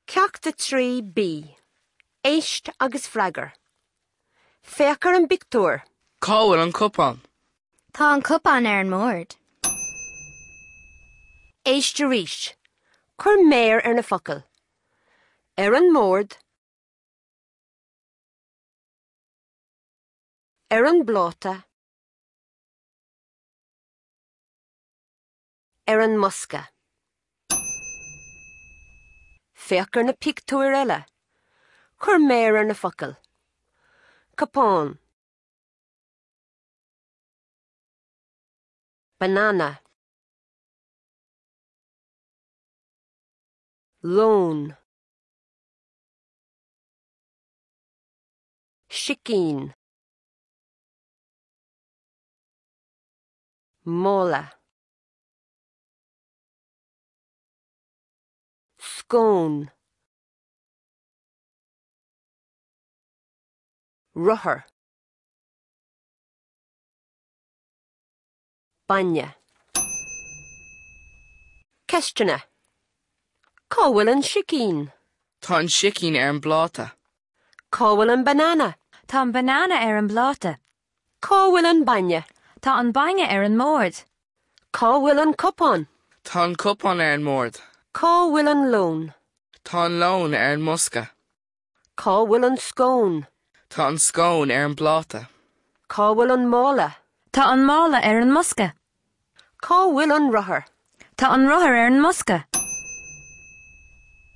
Ceacht 3B. Éist agus freagair. Féach ar an bpictiúr. Cá bhfuil an cupán? Tá an cupán ar an mbord. Éist arís. Cuir méar ar na focail. Ar an mbord. Ar an bpláta. Ar an mbosca. Féach ar na pictiúir eile. Cuir méar ar na focail. Cupán. Banana. Lón. Sicín. Mála. Scón. Rothar. Bainne. Ceisteanna. Cá bhfuil an sicín? Tá an sicín ar an bpláta. Cá bhfuil an banana? Tá an banana ar an bpláta. Cá bhfuil an bainne? Tá an bainne ar an mbord. Cá bhfuil an cupán? Tá an cupán ar an mbord. Cá bhfuil an lón? Tá an lón ar an mbosca. Cá bhfuil an scón? Tá an scón ar an bpláta. Cá bhfuil an mála? Tá an mála ar an mbosca. Cá bhfuil an rothar? Tá an rothar ar an mbosca.